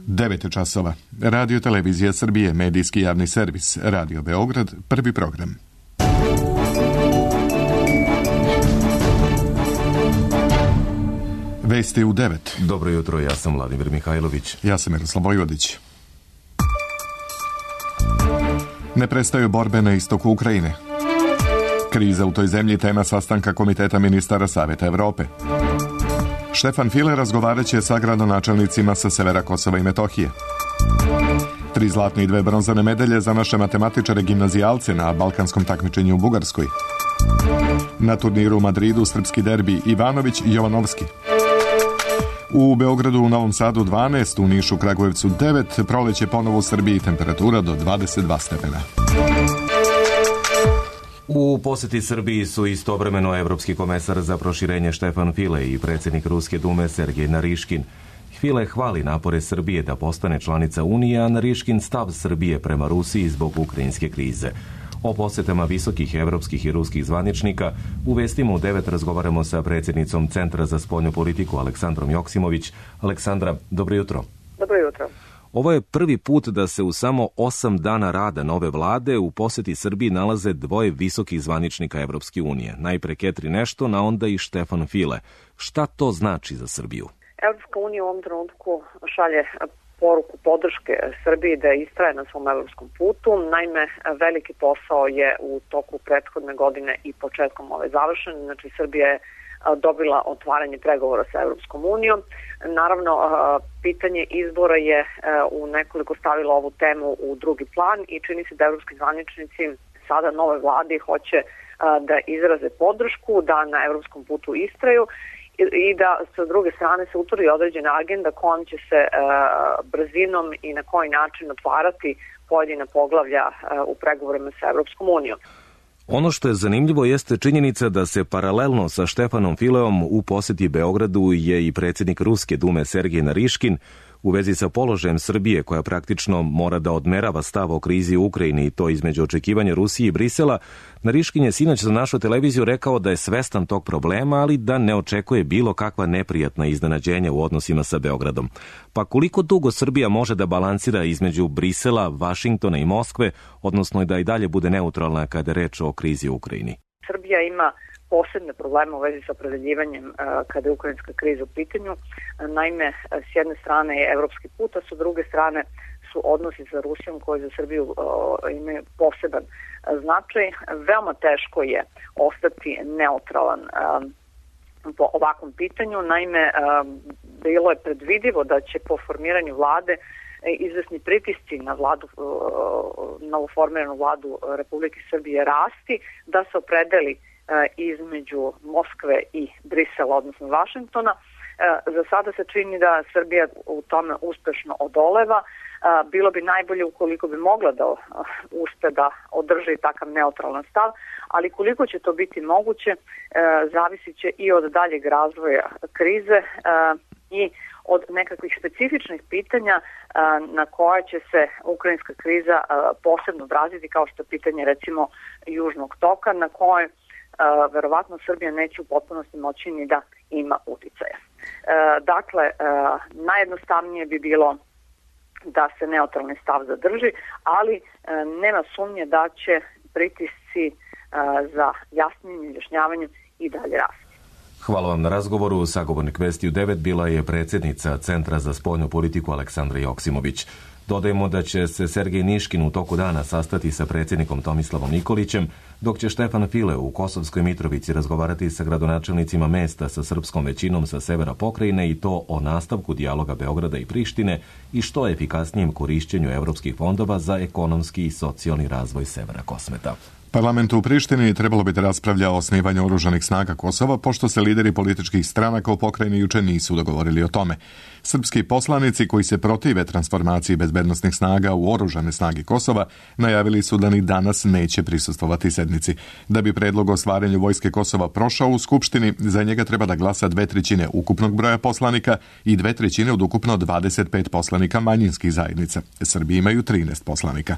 9 časova. Radio Televizija Srbije, medijski javni servis. Radio Beograd, prvi program. Vesti u 9. Dobro jutro, ja sam Vladimir Mihajlović. Ja sam Miroslav Vojvodić. Ne prestaju borbe na istoku Ukrajine. Kriza u toj zemlji tema sastanka Komiteta ministara Saveta Evrope. Štefan File razgovarat će sa gradonačelnicima sa severa Kosova i Metohije. 3 zlatne i 2 bronzane medalje za naše matematičare gimnazijalce na balkanskom takmičenju u Bugarskoj. Na turniru u Madridu srpski derbi Ivanović i Jovanovski. U Beogradu, u Novom Sadu 12, u Nišu, Kragujevcu 9, proleće ponovo u Srbiji, temperatura do 22 stepena. U poseti Srbiji su istovremeno evropski komesar za proširenje Štefan File i predsjednik Ruske dume Sergej Nariškin. File hvali napore Srbije da postane članica Unije, a Nariškin stav Srbije prema Rusiji zbog ukrajinske krize. O posetama visokih evropskih i ruskih zvaničnika u vestima u 9 razgovaramo sa predsjednicom Centra za spoljnu politiku Aleksandrom Joksimović. Aleksandra, dobro jutro. Dobro jutro. Ovo je prvi put da se u samo 8 dana rada nove vlade u poseti Srbiji nalaze 2 visokih zvaničnika Evropske unije. Najpre Catherine Ashton, a onda i Štefan File. Šta to znači za Srbiju? Evropska unija u ovom trenutku šalje poruku podrške Srbiji da istraje na svom evropskom putu. Naime, veliki posao je u toku prethodne godine i početkom ove završen. Znači, Srbija je dobila otvaranje pregovora sa Evropskom unijom. Naravno, pitanje izbora je u nekoliko stavilo ovu temu u drugi plan i čini se da evropski zvaničnici sada nove vlade hoće da izraze podršku, da na evropskom putu istraju i da sa druge strane se utvrdi određena agenda kojom će se brzinom i na koji način otvarati pojedina poglavlja u pregovorima sa Evropskom unijom. Ono što je zanimljivo jeste činjenica da se paralelno sa Štefanom Fileom u posjeti Beogradu je i predsjednik Ruske dume Sergej Nariškin u vezi sa položajem Srbije, koja praktično mora da odmerava stav o krizi u Ukrajini i to između očekivanja Rusije i Brisela. Nariškin je sinoć za našu televiziju rekao da je svestan tog problema, ali da ne očekuje bilo kakva neprijatna iznenađenja u odnosima sa Beogradom. Pa koliko dugo Srbija može da balansira između Brisela, Vašingtona i Moskve, odnosno da i dalje bude neutralna kada je reč o krizi u Ukrajini? Srbija ima posebne probleme u vezi sa opredeljivanjem kada je ukrajinska kriza u pitanju. Naime, s jedne strane je evropski put, a s druge strane su odnosi sa Rusijom koji za Srbiju imaju poseban značaj. Veoma teško je ostati neutralan po ovakvom pitanju. Naime, bilo je predvidivo da će po formiranju vlade izvesni pritisci na vladu, novoformiranu vladu Republike Srbije rasti, da se opredeli između Moskve i Brisela, odnosno Vašingtona. Za sada se čini da Srbija u tome uspešno odoleva. Bilo bi najbolje ukoliko bi mogla da uspe da održi takav neutralan stav, ali koliko će to biti moguće zavisit će i od daljeg razvoja krize i od nekakvih specifičnih pitanja na koja će se ukrajinska kriza posebno odraziti, kao što je pitanje recimo Južnog toka, na koje verovatno Srbija neće u potpunosti moći ni da ima uticaja. Dakle, najjednostavnije bi bilo da se neutralni stav zadrži, ali nema sumnje da će pritisci za jasnim izjašnjavanjem i dalje rasti. Hvala vam na razgovoru. Sagovornik Vesti u 9 bila je predsjednica Centra za spoljnu politiku Aleksandra Joksimović. Dodajemo da će se Sergej Nariškin u toku dana sastati sa predsjednikom Tomislavom Nikolićem, dok će Štefan File u Kosovskoj Mitrovici razgovarati sa gradonačelnicima mesta sa srpskom većinom sa severa pokrajine i to o nastavku dijaloga Beograda i Prištine i što efikasnijem korišćenju evropskih fondova za ekonomski i socijalni razvoj severa Kosmeta. Parlament u Prištini trebalo bi da raspravlja o osnivanju oružanih snaga Kosova, pošto se lideri političkih stranaka u pokrajini juče nisu dogovorili o tome. Srpski poslanici koji se protive transformaciji bezbednosnih snaga u oružane snage Kosova najavili su da ni danas neće prisustvovati sednici. Da bi predlog o stvaranju vojske Kosova prošao u Skupštini, za njega treba da glasa 2/3 ukupnog broja poslanika i 2/3 od ukupno 25 poslanika manjinskih zajednica. Srbi imaju 13 poslanika.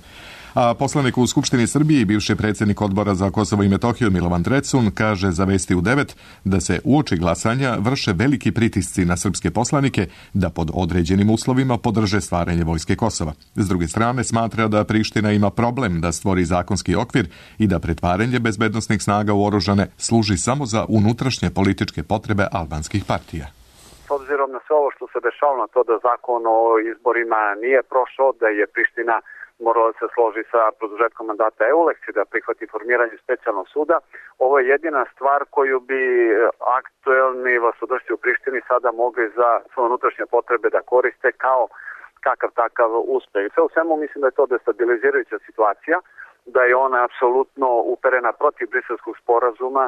A poslanik u Skupštini Srbije i bivši predsjednik Odbora za Kosovo i Metohiju Milovan Drecun kaže za Vesti u 9 da se uoči glasanja vrše veliki pritisci na srpske poslanike da pod određenim uslovima podrže stvaranje vojske Kosova. S druge strane, smatra da Priština ima problem da stvori zakonski okvir i da pretvaranje bezbednosnih snaga u oružane služi samo za unutrašnje političke potrebe albanskih partija. S obzirom na sve ovo što se dešava na to da zakon o izborima nije prošao, da je Priština morala se složi sa produžetkom mandata EULEX i da prihvati formiranje specijalnog suda, ovo je jedina stvar koju bi aktuelni vlastodršci u Prištini sada mogli za svoje unutrašnje potrebe da koriste kao kakav takav uspeh. Sve u svemu mislim da je to destabilizirajuća situacija, da je ona apsolutno uperena protiv Briselskog sporazuma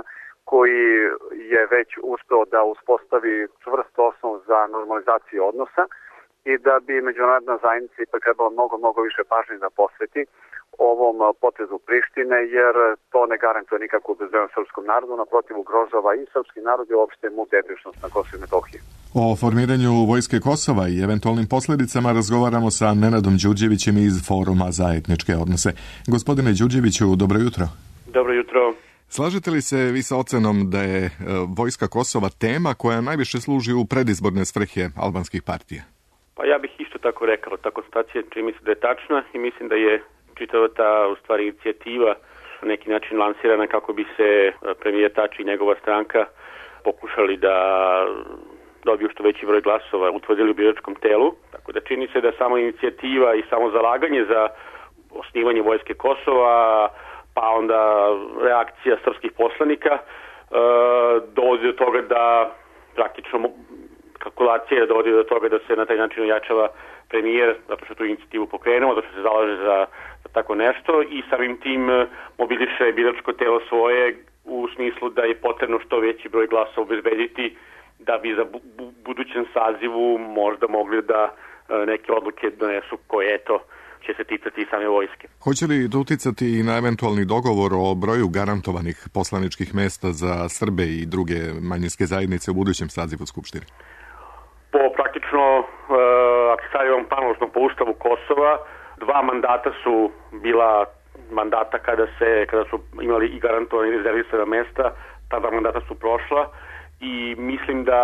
koji je već uspeo da uspostavi čvrst osnov za normalizaciju odnosa i da bi međunarodna zajednica ipak trebala mnogo više pažnje da posveti ovom potezu Prištine, jer to ne garantuje nikakvu bezbednost srpskom narodu, naprotiv ugrožava i srpski narod i uopšte multietničnost na Kosovu i Metohiji. O formiranju vojske Kosova i eventualnim posljedicama razgovaramo sa Nenadom Đurđevićem iz Foruma za etničke odnose. Gospodine Đurđeviću, dobro jutro. Dobro jutro. Slažete li se vi sa ocenom da je vojska Kosova tema koja najviše služi u predizborne svrhe albanskih partija? Pa ja bih isto tako rekao, ta konstatacija čini mi se da je tačna i mislim da je čitava ta u stvari inicijativa na neki način lansirana kako bi se premijer Tači i njegova stranka pokušali da dobiju što veći broj glasova, utvrdili u biračkom telu. Tako da čini se da samo inicijativa i samo zalaganje za osnivanje vojske Kosova, pa onda reakcija srpskih poslanika dovodi do toga da praktično kalkulacija dovodi do toga da se na taj način ojačava premijer, zato što tu inicijativu pokrenuo, zato što se zalaže za tako nešto i samim tim mobiliše biračko telo svoje u smislu da je potrebno što veći broj glasova obezbediti da bi za budućem sazivu možda mogli da neke odluke donesu koje će se ticati i same vojske. Hoće li to uticati i na eventualni dogovor o broju garantovanih poslaničkih mesta za Srbe i druge manjinske zajednice u budućem sazivu Skupštine? Po praktično, ako stavimo panosno po Ustavu Kosova, 2 mandata su bila mandata kada su imali i garantovani rezervisana mesta, ta 2 mandata su prošla i mislim da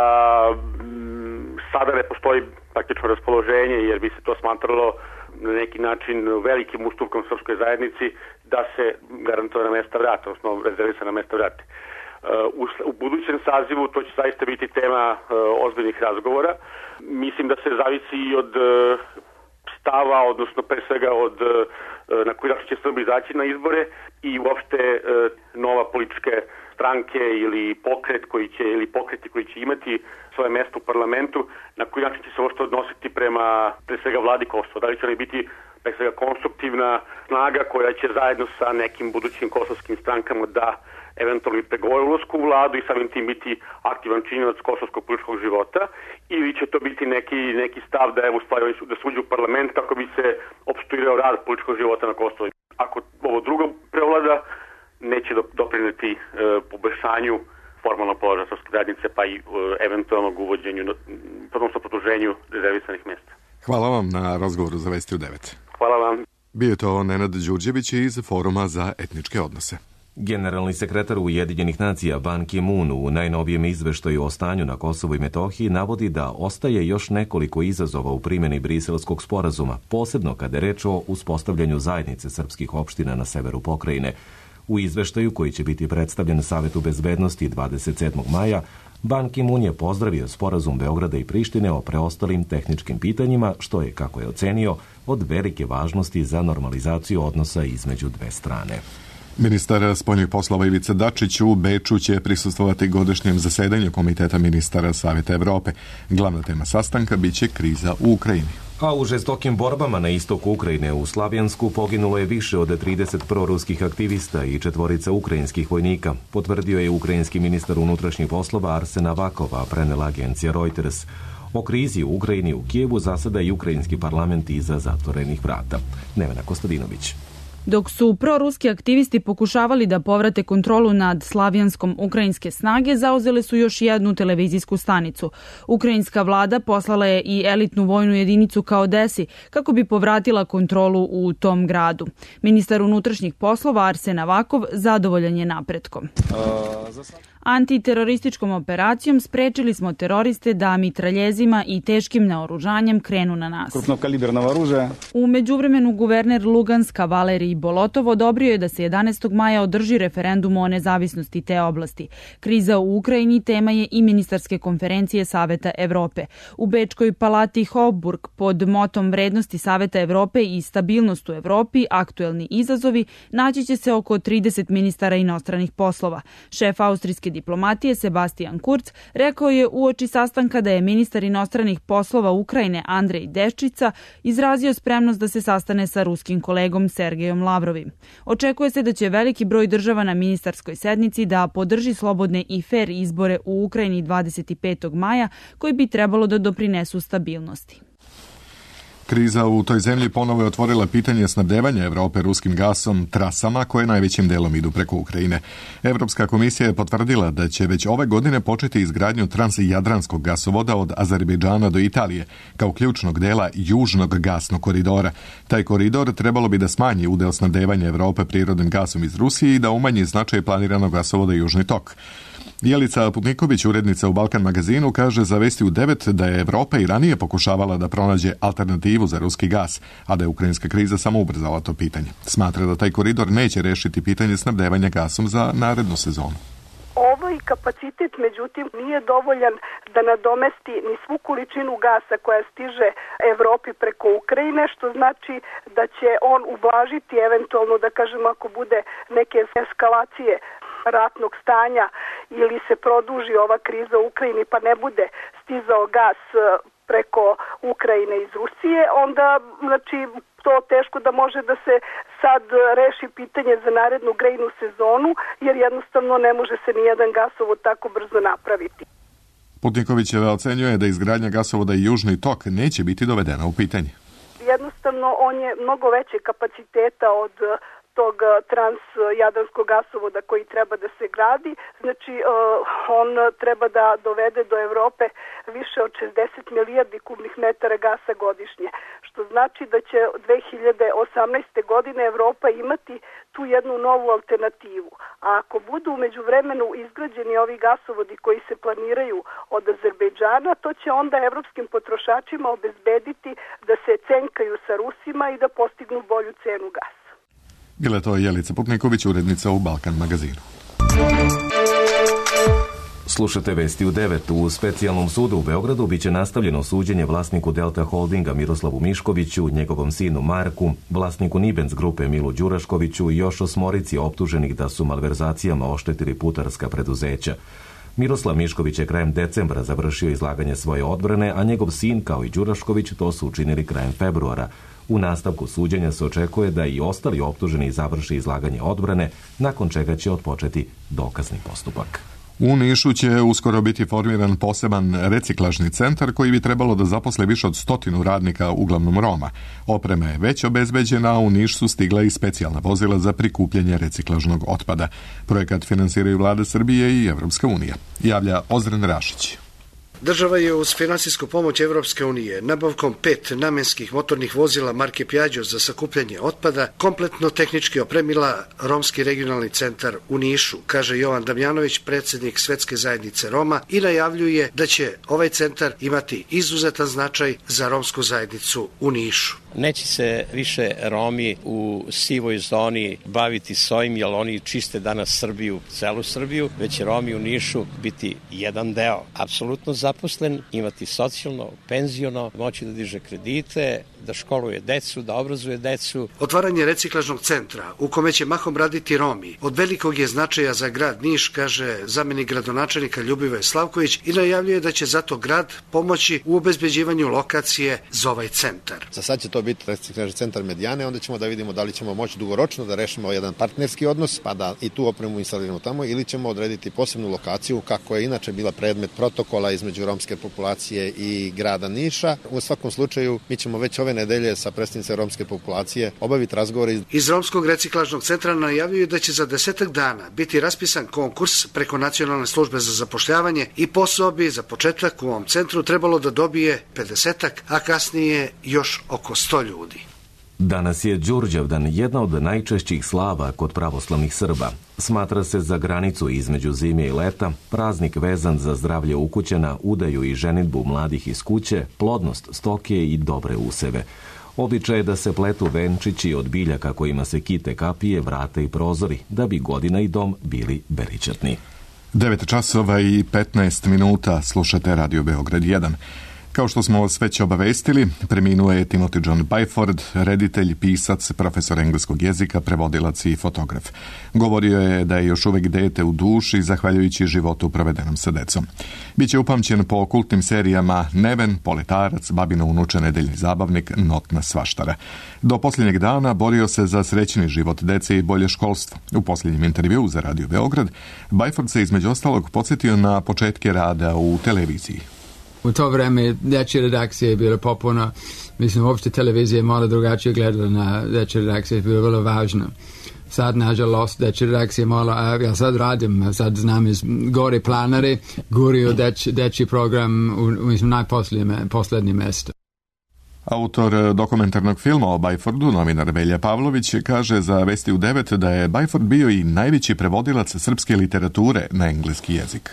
sada ne postoji praktično raspoloženje jer bi se to smatralo na neki način velikim ustupkom srpskoj zajednici da se garantovana mesta vrate, odnosno rezervisana mesta vrate. U budućem sazivu to će zaista biti tema ozbiljnih razgovora. Mislim da se zavisi i od stava, odnosno pre svega od na koji način će Srbi izaći na izbore i uopšte nova političke stranke ili pokreti koji će imati svoje mesto u parlamentu, na koji način će se uopšte odnositi prema pre svega vladi Kosova. Da li će oni biti pre svega konstruktivna snaga koja će zajedno sa nekim budućim kosovskim strankama da eventualno pregovore ulazku u vladu i samim tim biti aktivan činilac kosovskog političkog života, ili će to biti neki stav da da se uđe u parlament kako bi se opstruirao rad političkog života na Kosovu. Ako ovo drugo prevlada, neće doprineti poboljšanju formalnog položaja srpske zajednice, pa i eventualnog uvođenju, odnosno produženju rezervisanih mjesta. Hvala vam na razgovoru za Vesti u 9. Hvala vam. Bio je to Nenad Đurđević iz Foruma za etničke odnose. Generalni sekretar Ujedinjenih nacija Ban Ki-moon u najnovijem izveštaju o stanju na Kosovu i Metohiji navodi da ostaje još nekoliko izazova u primjeni Briselskog sporazuma, posebno kada je reč o uspostavljanju zajednice srpskih opština na severu pokrajine. U izveštaju koji će biti predstavljen Savetu bezbednosti 27. maja, Ban Ki-moon je pozdravio sporazum Beograda i Prištine o preostalim tehničkim pitanjima, što je, kako je ocenio, od velike važnosti za normalizaciju odnosa između dve strane. Ministar spoljnih poslova Ivica Dačić u Beču će prisustvovati godišnjem zasedanju Komiteta ministara Saveta Evrope. Glavna tema sastanka biće kriza u Ukrajini. A u žestokim borbama na istoku Ukrajine u Slavjansku poginulo je više od 30 proruskih aktivista i 4 ukrajinskih vojnika, potvrdio je ukrajinski ministar unutrašnjih poslova Arsen Avakov, prenela agencija Reuters. O krizi u Ukrajini u Kijevu zaseda i ukrajinski parlament iza zatvorenih vrata. Nevena Kostadinović. Dok su proruski aktivisti pokušavali da povrate kontrolu nad Slavjanskom, ukrajinske snage zauzele su još jednu televizijsku stanicu. Ukrajinska vlada poslala je i elitnu vojnu jedinicu ka Odesi kako bi povratila kontrolu u tom gradu. Ministar unutrašnjih poslova Arsen Avakov zadovoljan je napretkom. Antiterorističkom operacijom sprečili smo teroriste da mitraljezima i teškim naoružanjem krenu na nas. U međuvremenu guverner Luganska Valerij Bolotov odobrio je da se 11. maja održi referendum o nezavisnosti te oblasti. Kriza u Ukrajini tema je i ministarske konferencije Saveta Evrope. U Bečkoj palati Hofburg pod motom vrednosti Saveta Evrope i stabilnost u Evropi, aktuelni izazovi, naći će se oko 30 ministara inostranih poslova. Šef austrijske diplomatije Sebastian Kurz rekao je uoči sastanka da je ministar inostranih poslova Ukrajine Andrej Deščica izrazio spremnost da se sastane sa ruskim kolegom Sergejom Lavrovim. Očekuje se da će veliki broj država na ministarskoj sednici da podrži slobodne i fer izbore u Ukrajini 25. maja koji bi trebalo da doprinesu stabilnosti. Kriza u toj zemlji ponovo je otvorila pitanje snabdevanja Evrope ruskim gasom trasama koje najvećim delom idu preko Ukrajine. Evropska komisija je potvrdila da će već ove godine početi izgradnju transjadranskog gasovoda od Azerbejdžana do Italije, kao ključnog dela južnog gasnog koridora. Taj koridor trebalo bi da smanji udeo snabdevanja Evrope prirodnim gasom iz Rusije i da umanji značaj planiranog gasovoda Južni tok. Jelica Putniković, urednica u Balkan magazinu, kaže za Vesti u 9 da je Evropa i ranije pokušavala da pronađe alternativu za ruski gas, a da je ukrajinska kriza samo ubrzala to pitanje. Smatra da taj koridor neće rešiti pitanje snabdevanja gasom za narednu sezonu. Ovaj kapacitet, međutim, nije dovoljan da nadomesti ni svu količinu gasa koja stiže Evropi preko Ukrajine, što znači da će on ublažiti eventualno, da kažemo, ako bude neke eskalacije ratnog stanja ili se produži ova kriza u Ukrajini pa ne bude stizao gas preko Ukrajine iz Rusije, onda znači to teško da može da se sad reši pitanje za narednu grejnu sezonu, jer jednostavno ne može se nijedan gasovod tako brzo napraviti. Putnikovićeva ocenjuje da izgradnja gasovoda i Južni tok neće biti dovedena u pitanje. Jednostavno on je mnogo veće kapaciteta od tog transjadranskog gasovoda koji treba da se gradi. Znači, on treba da dovede do Evrope više od 60 milijardi kubnih metara gasa godišnje, što znači da će 2018. godine Evropa imati tu jednu novu alternativu. A ako budu u međuvremenu izgrađeni ovi gasovodi koji se planiraju od Azerbejdžana, to će onda evropskim potrošačima obezbediti da se cenkaju sa Rusima i da postignu bolju cenu gasa. Bila je to Jelica Putniković, urednica u Balkan magazinu. Slušate Vesti u 9. U specijalnom sudu u Beogradu biće nastavljeno suđenje vlasniku Delta Holdinga Miroslavu Miškoviću, njegovom sinu Marku, vlasniku Nibens grupe Milu Đuraškoviću i još 8 optuženih da su malverzacijama oštetili putarska preduzeća. Miroslav Mišković je krajem decembra završio izlaganje svoje odbrane, a njegov sin, kao i Đurašković, to su učinili krajem februara. U nastavku suđenja se očekuje da i ostali optuženi završi izlaganje odbrane, nakon čega će otpočeti dokazni postupak. U Nišu će uskoro biti formiran poseban reciklažni centar koji bi trebalo da zaposle više od 100 radnika, uglavnom Roma. Oprema je već obezbeđena, a u Niš su stigla i specijalna vozila za prikupljanje reciklažnog otpada. Projekat finansiraju Vlada Srbije i Evropska unija. Javlja Ozren Rašić. Država je uz finansijsku pomoć Evropske unije nabavkom 5 namenskih motornih vozila marke Piaggio za sakupljanje otpada kompletno tehnički opremila Romski regionalni centar u Nišu, kaže Jovan Damjanović, predsjednik Svetske zajednice Roma, i najavljuje da će ovaj centar imati izuzetan značaj za romsku zajednicu u Nišu. Neće se više Romi u sivoj zoni baviti s ovim, jer oni čiste danas Srbiju, celu Srbiju, već će Romi u Nišu biti jedan deo, apsolutno zaposlen, imati socijalno, penziono, moći da diže kredite, da školuje decu, da obrazuje decu. Otvaranje reciklažnog centra, u kome će mahom raditi Romi, od velikog je značaja za grad Niš, kaže zamenik gradonačelnika Ljubivoje Slavković, i najavljuje da će zato grad pomoći u obezbeđivanju lokacije za ovaj centar. Za sad će to biti reciklažni centar Medijane, onda ćemo da vidimo da li ćemo moći dugoročno da rešimo jedan partnerski odnos, pa da i tu opremu instaliramo tamo, ili ćemo odrediti posebnu lokaciju, kako je inače bila predmet protokola između romske populacije i grada Niša. U svakom slučaju, mi ćemo već ove nedelje sa predstavnicima romske populacije obaviti razgovore. Iz Romskog reciklažnog centra najavljaju da će za 10 dana biti raspisan konkurs preko Nacionalne službe za zapošljavanje i posao bi za početak u ovom centru trebalo da dobije 50, a kasnije još oko 100 ljudi. Danas je Đurđevdan, jedna od najčešćih slava kod pravoslavnih Srba. Smatra se za granicu između zime i leta, praznik vezan za zdravlje ukućana, udaju i ženidbu mladih iz kuće, plodnost stoke i dobre useve. Običaj je da se pletu venčići od biljaka kojima se kite kapije, vrata i prozori, da bi godina i dom bili beričatni. 9 časova i 15 minuta, slušate Radio Beograd 1. Kao što smo vas već obavestili, preminuo je Timothy John Byford, reditelj, pisac, profesor engleskog jezika, prevodilac i fotograf. Govorio je da je još uvijek dete u duši, zahvaljujući životu provedenom sa decom. Biće upamćen po kultnim serijama Neven, Poletarac, Babino unuče, Nedeljni zabavnik, Notna svaštara. Do posljednjeg dana borio se za srećni život dece i bolje školstvo. U posljednjem intervjuu za Radio Beograd, Byford se između ostalog podsjetio na početke rada u televiziji. U to vreme dječje redakcije je bilo popuno. Mislim, uopšte televizija je malo drugačije gledala na dječje redakcije, je bilo vrlo važno. Sad, nažalost, dječje redakcije malo, ja sad radim, sad znam iz gore planare, gurio dječji program mislim, najposljednje mjesto. Autor dokumentarnog filma o Byfordu, novinar Velja Pavlović, kaže za Vesti u 9 da je Byford bio i najveći prevodilac srpske literature na engleski jezik.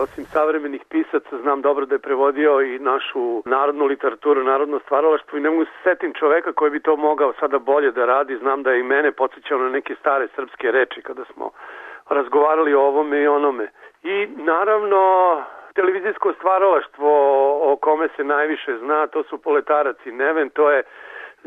Osim savremenih pisaca, znam dobro da je prevodio i našu narodnu literaturu, narodno stvaralaštvo i ne mogu se setim čoveka koji bi to mogao sada bolje da radi. Znam da je i mene podsjećao na neke stare srpske reči kada smo razgovarali o ovome i onome. I naravno, televizijsko stvaralaštvo o kome se najviše zna, to su Poletarac i Neven, to je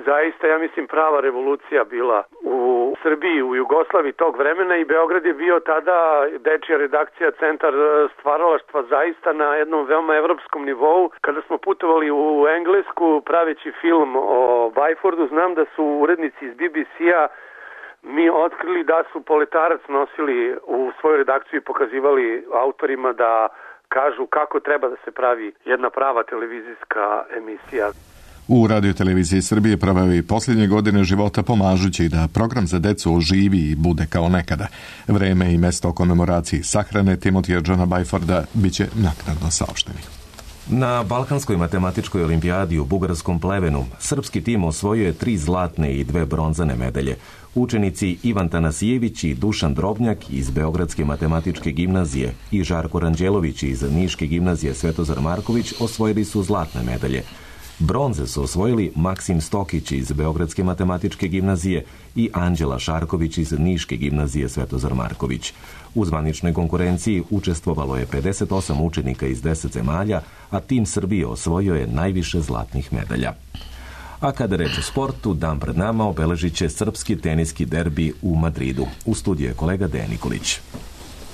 zaista, ja mislim, prava revolucija bila u Srbiji, u Jugoslaviji tog vremena i Beograd je bio tada dečija redakcija, centar stvaralaštva zaista na jednom veoma evropskom nivou. Kada smo putovali u Englesku praveći film o Byfordu, znam da su urednici iz BBC-a mi otkrili da su Poletarac nosili u svoju redakciju i pokazivali autorima da kažu kako treba da se pravi jedna prava televizijska emisija. U radioteleviziji Srbije proveo i posljednje godine života pomažući da program za decu oživi i bude kao nekada. Vreme i mesto komemoraciji sahrane Timothya Johna Byforda bit će naknadno saopšteni. Na Balkanskoj matematičkoj olimpijadi u bugarskom Plevenu srpski tim osvojio je 3 zlatne i 2 bronzane medalje. Učenici Ivan Tanasijević i Dušan Drobnjak iz Beogradske matematičke gimnazije i Žarko Ranđelović iz Niške gimnazije Svetozar Marković osvojili su zlatne medalje. Bronze su osvojili Maksim Stokić iz Beogradske matematičke gimnazije i Anđela Šarković iz Niške gimnazije Svetozar Marković. U zvaničnoj konkurenciji učestvovalo je 58 učenika iz 10 zemalja, a tim Srbije osvojio je najviše zlatnih medalja. A kada reč o sportu, dan pred nama obeležit će srpski teniski derbi u Madridu. U studiju je kolega Dejan Nikolić.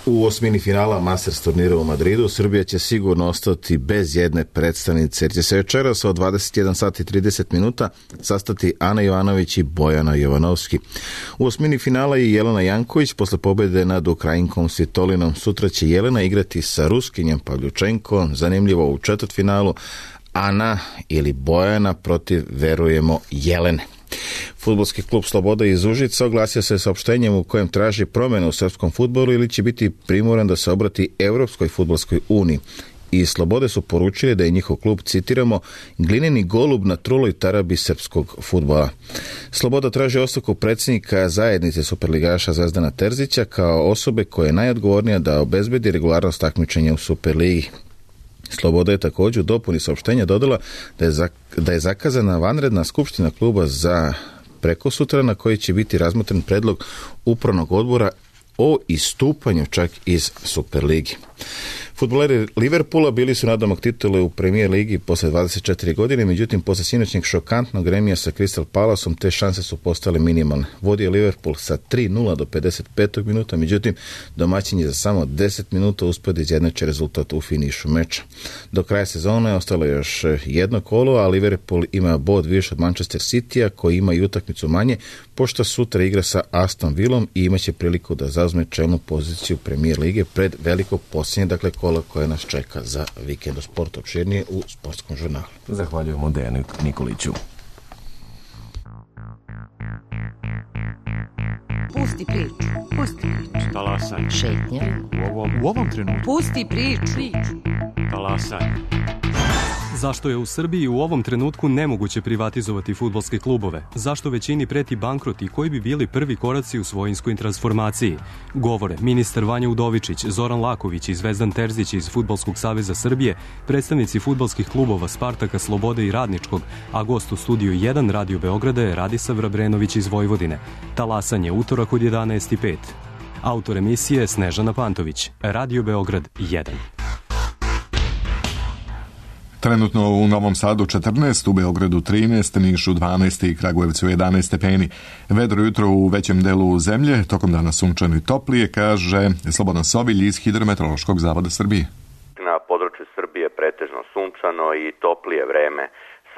U osmini finala Masters turnira u Madridu Srbija će sigurno ostati bez jedne predstavnice, jer će se večeras od 21 sati 30 minuta sastati Ana Jovanović i Bojana Jovanovski. U osmini finala je Jelena Janković posle pobjede nad Ukrajinkom Svitolinom. Sutra će Jelena igrati sa Ruskinjem Pavljučenkom, zanimljivo u četvrtfinalu Ana ili Bojana protiv, verujemo, Jelene. Fudbalski klub Sloboda iz Užica oglasio se saopštenjem u kojem traži promjene u srpskom fudbalu ili će biti primoran da se obrati Evropskoj fudbalskoj uniji. I Slobode su poručili da je njihov klub, citiramo, glineni golub na truloj tarabi srpskog fudbala. Sloboda traži ostavku predsjednika zajednice superligaša Zvezdana Terzića kao osobe koja je najodgovornija da obezbedi regularnost takmičenja u Superligi. Sloboda je također u dopuni saopštenja dodala da je zakazana vanredna skupština kluba za prekosutra na koji će biti razmotren predlog upravnog odbora o istupanju čak iz Superligi. Fudbaleri Liverpoola bili su nadomak titule u Premier ligi posle 24 godine, međutim posle sinoćnjeg šokantnog remija sa Crystal Palaceom te šanse su postale minimalne. Vodio Liverpool sa 3-0 do 55. minuta, međutim domaćin je za samo 10 minuta uspio da izjednači rezultat u finišu meča. Do kraja sezone je ostalo još jedno kolo, a Liverpool ima bod više od Manchester Citya koji ima i utakmicu manje, pošto sutra igra sa Aston Villom i imaće priliku da zauzme čelnu poziciju Premier lige pred veliko posljednje, dakle kola koje nas čeka za vikend. O sportu opširnije u Sportskom žurnalu. Zahvaljujemo Dejanu Nikoliću. Pusti priču. Pusti priču. Talasaj. Šetnja. U ovom trenutku. Pusti priču. Talasaj. Zašto je u Srbiji u ovom trenutku nemoguće privatizovati fudbalske klubove? Zašto većini preti bankrot i koji bi bili prvi koraci u svojinskoj transformaciji? Govore ministar Vanja Udovičić, Zoran Laković i Zvezdan Terzić iz Fudbalskog saveza Srbije, predstavnici fudbalskih klubova Spartaka, Slobode i Radničkog, a gost u studiju 1 Radio Beograda je Radisav Vrabrenović iz Vojvodine. Talasanje utorak od 11:05. Autor emisije Snežana Pantović. Radio Beograd 1. Trenutno u Novom Sadu 14, u Beogradu 13, Nišu 12 i Kragujevcu 11 stepeni. Vedro jutro u većem delu zemlje, tokom dana sunčano i toplije, kaže Slobodan Sovilj iz Hidrometeorološkog zavoda Srbije. Na području Srbije pretežno sunčano i toplije vreme.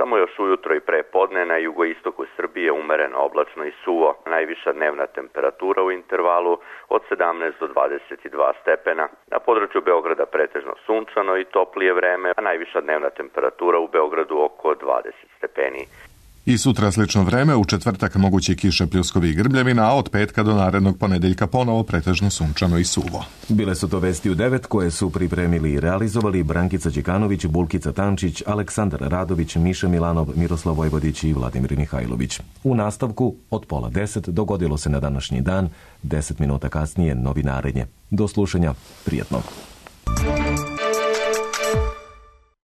Samo još ujutro i pre podne na jugoistoku Srbije umereno oblačno i suvo. Najviša dnevna temperatura u intervalu od 17 do 22 stepena. Na području Beograda pretežno sunčano i toplije vreme, a najviša dnevna temperatura u Beogradu oko 20 stepeni. I sutra slično vreme, u četvrtak moguće kiše, pljuskovi i grbljevina, a od petka do narednog ponedeljka ponovo pretežno sunčano i suvo. Bile su to vesti u 9 koje su pripremili i realizovali Brankica Đekanović, Bulkica Tančić, Aleksandar Radović, Miša Milanov, Miroslav Vojvodić i Vladimir Mihajlović. U nastavku od 9:30 dogodilo se na današnji dan, 10 minuta kasnije novinarenje. Do slušanja, prijatno.